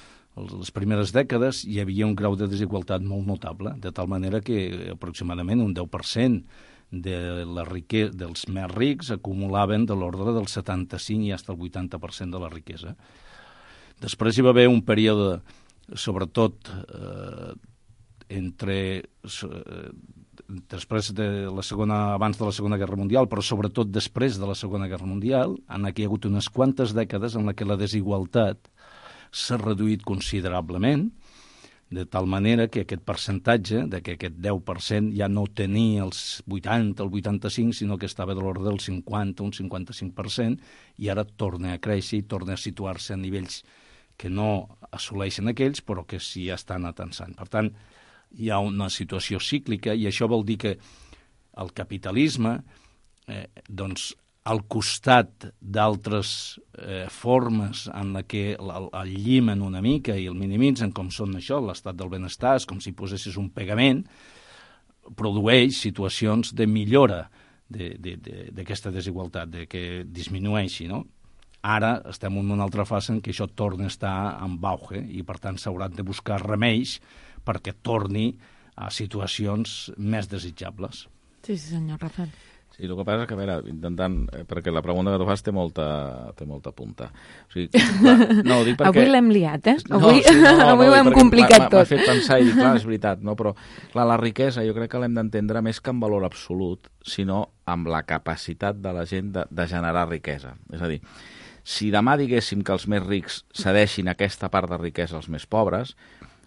els, les primeres dècades, hi havia un grau de desigualtat molt notable, de tal manera que aproximadament un deu per cent de la riquesa, dels més rics acumulaven de l'ordre del setanta-cinc i fins al vuitanta per cent de la riquesa. Després hi va haver un període, sobretot eh, entre eh, després de la segona, abans de la Segona Guerra Mundial, però sobretot després de la Segona Guerra Mundial, en què hi ha hagut unes quantes dècades en què la desigualtat s'ha reduït considerablement, de tal manera que aquest percentatge, de que aquest deu per cent ja no tenia els vuitanta, el vuitanta-cinc, sinó que estava de l'ordre del cinquanta, un cinquanta-cinc per cent, i ara torna a créixer i torna a situar-se a nivells que no assoleixen aquells, però que sí estan atensant. Per tant, hi ha una situació cíclica, i això vol dir que el capitalisme, eh, doncs, al costat d'altres eh, formes en la que el, el llimen una mica i el minimitzen, com són això, l'estat del benestar, és com si posessis un pegament, produeix situacions de millora d'aquesta de, de, de, desigualtat, de que disminueixi, no? Ara estem en una altra fase en què això torna a estar en auge i, per tant, s'hauran de buscar remeis perquè torni a situacions més desitjables. Sí, sí, senyor Rafael. Sí, el que passa és que, a veure, intentant... Eh, perquè la pregunta que tu fas té molta, té molta punta. O sigui, clar, no, ho dic perquè... Avui l'hem liat, eh? No, Avui, sí, no, no, avui no, ho hem perquè complicat tot. M'ha fet pensar i dir, clar, és veritat, no? Però clar, la riquesa jo crec que l'hem d'entendre més que en valor absolut, sinó amb la capacitat de la gent de, de generar riquesa. És a dir, si demà diguéssim que els més rics cedeixin aquesta part de riquesa als més pobres,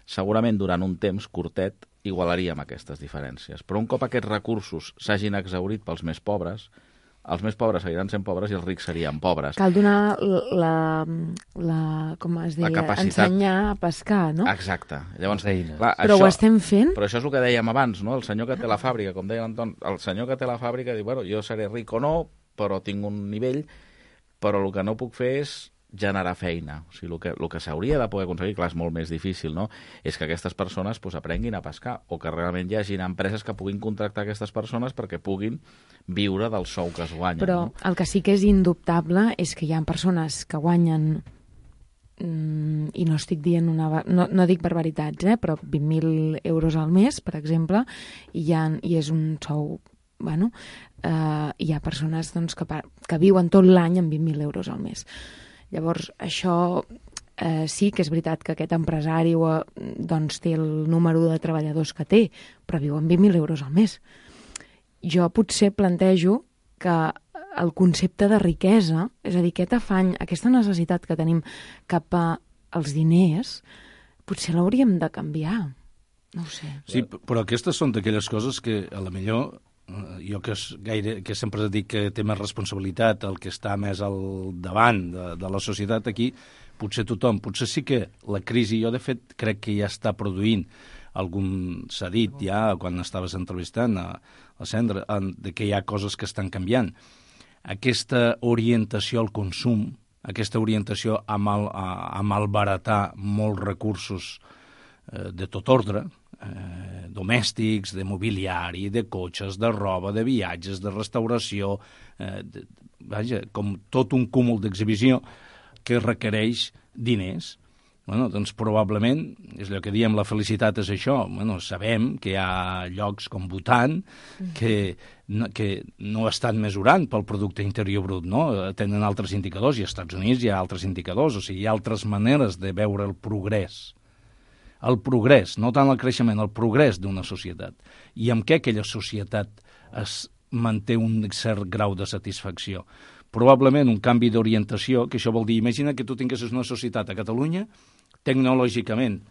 segurament durant un temps curtet igualaríem aquestes diferències. Però un cop aquests recursos s'hagin exhaurit pels més pobres, els més pobres seguiran sent pobres i els rics serien pobres. Cal donar la, la com es deia, capacitat... ensenyar a pescar, no? Exacte. Llavors, clar, però això, ho estem fent? Però això és el que dèiem abans, no? El senyor que té la fàbrica, com deia l'Anton, el senyor que té la fàbrica diu, bueno, jo seré ric o no, però tinc un nivell, però el que no puc fer és generar feina. O sigui, el que, el que s'hauria de poder aconseguir, clar, és molt més difícil, no? És que aquestes persones pues, aprenguin a pescar o que realment hi hagi empreses que puguin contractar aquestes persones perquè puguin viure del sou que es guanyen. Però no? El que sí que és indubtable és que hi ha persones que guanyen mm, i no estic dient una... No, no dic barbaritats, eh? Però vint mil euros al mes, per exemple, i, ha, i és un sou... Bueno, eh, hi ha persones doncs, que, que viuen tot l'any amb vint mil euros al mes. Llavors, això eh, sí que és veritat que aquest empresari doncs, té el número de treballadors que té, però viu amb vint mil euros al mes. Jo potser plantejo que el concepte de riquesa, és a dir, aquest afany, aquesta necessitat que tenim cap als diners, potser l'hauríem de canviar. No ho sé. Sí, però aquestes són d'aquelles coses que a la millor... jo que, és gaire, que sempre dic que té més responsabilitat el que està més al davant de, de la societat aquí, potser tothom, potser sí que la crisi, jo de fet crec que ja està produint algun, s'ha dit ja quan estaves entrevistant a la Sandra, de que hi ha coses que estan canviant. Aquesta orientació al consum, aquesta orientació a, mal, a, a malbaratar molts recursos eh, de tot ordre, Eh, domèstics, de mobiliari, de cotxes, de roba, de viatges, de restauració, eh, de, vaja, com tot un cúmul d'exhibició que requereix diners. Bueno, doncs probablement, és el que diem, la felicitat és això. Bueno, sabem que hi ha llocs com Bhutan que no, que no estan mesurant pel producte interior brut, no? Tenen altres indicadors, i als Estats Units hi ha altres indicadors, o sigui, hi ha altres maneres de veure el progrés. El progrés, no tant el creixement, el progrés d'una societat. I amb què aquella societat es manté un cert grau de satisfacció? Probablement un canvi d'orientació, que això vol dir, imagina que tu tinguessis una societat a Catalunya, tecnològicament,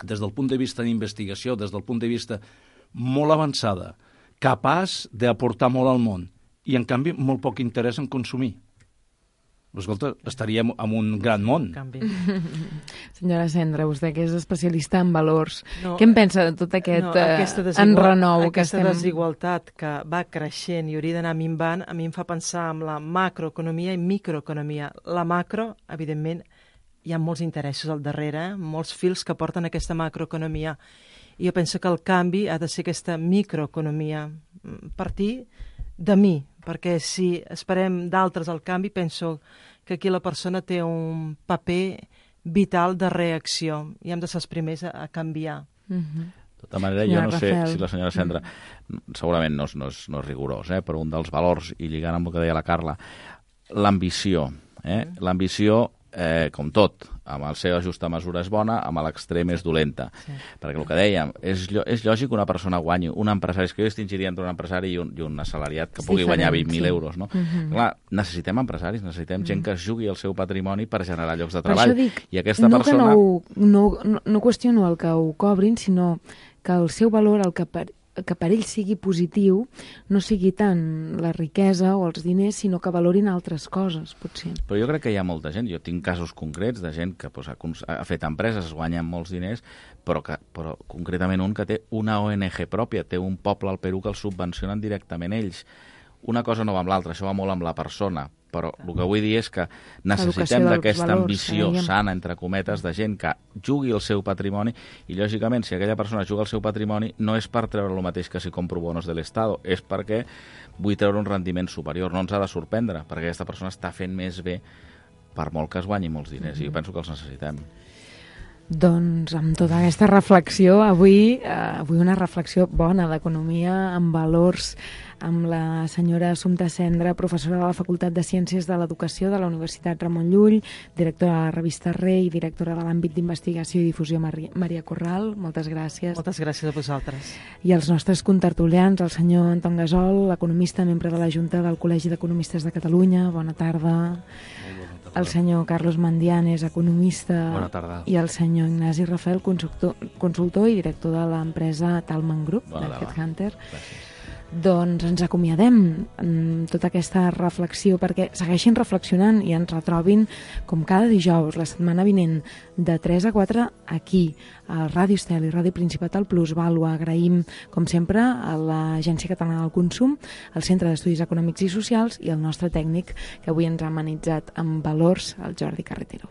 des del punt de vista d'investigació, des del punt de vista molt avançada, capaç d'aportar molt al món, i en canvi molt poc interès en consumir. Escolta, estaríem en un gran món. Senyora Sandra, vostè que és especialista en valors, no, què en pensa de tot aquest no, eh, enrenou que aquesta estem... desigualtat que va creixent i hauria d'anar minvant, a mi em fa pensar en la macroeconomia i microeconomia. La macro, evidentment, hi ha molts interessos al darrere, eh? molts fils que porten aquesta macroeconomia. I jo penso que el canvi ha de ser aquesta microeconomia, partir de mi, perquè si esperem d'altres al canvi, penso que aquí la persona té un paper vital de reacció i hem de ser els primers a, a canviar. Mm-hmm. De tota manera, jo no sé si la senyora Sandra, segurament no és, no és, no és rigorós, eh, però un dels valors, i lligant amb el que deia la Carla, l'ambició. Eh? Mm. L'ambició, eh, com tot, amb el seu justa mesura és bona, amb l'extrem és dolenta. Sí. Perquè el que dèiem, és, és lògic que una persona guanyi, un empresari, és que jo distingiria entre un empresari i un, i un assalariat que pugui sí, guanyar vint mil sí. euros. No? Mm-hmm. Clar, necessitem empresaris, necessitem mm. gent que es jugui el seu patrimoni per generar llocs de treball. Per això dic, I aquesta no persona... que no, no, no, no qüestiono el que ho cobrin, sinó que el seu valor, el que per, que per ell sigui positiu, no sigui tant la riquesa o els diners, sinó que valorin altres coses, potser. Però jo crec que hi ha molta gent, jo tinc casos concrets de gent que pues, ha, ha fet empreses, es guanyen molts diners, però, que, però concretament un que té una O N G pròpia, té un poble al Perú que el subvencionen directament ells. Una cosa no va amb l'altra, això va molt amb la persona, però el que vull dir és que necessitem d'aquesta ambició eh? sana, entre cometes, de gent que jugui el seu patrimoni i, lògicament, si aquella persona juga el seu patrimoni, no és per treure el mateix que si compro bonos de l'Estado, és perquè vull treure un rendiment superior. No ens ha de sorprendre, perquè aquesta persona està fent més bé per molt que es guanyi molts diners, i jo penso que els necessitem. Doncs amb tota aquesta reflexió, avui, eh, avui una reflexió bona d'economia, amb valors, amb la senyora Assumpta Cendra, professora de la Facultat de Ciències de l'Educació de la Universitat Ramon Llull, directora de la revista Rei, directora de l'àmbit d'investigació i difusió Maria, Maria Corral. Moltes gràcies. Moltes gràcies a vosaltres. I els nostres contertulians, el senyor Anton Gasol, economista, membre de la Junta del Col·legi d'Economistes de Catalunya. Bona tarda. El senyor Carlos Mandianes, economista. Bona tarda. I el senyor Ignasi Rafael, consultor, consultor i director de l'empresa Talman Group, Bona de tarda. Headhunter. Gràcies. Doncs ens acomiadem amb tota aquesta reflexió, perquè segueixin reflexionant i ens retrobin com cada dijous, la setmana vinent, de tres a quatre, aquí, a Ràdio Estel i Ràdio Principat al Plus Vàlua. Agraïm, com sempre, a l'Agència Catalana del Consum, al Centre d'Estudis Econòmics i Socials i al nostre tècnic, que avui ens ha amenitzat amb valors, el Jordi Carretero.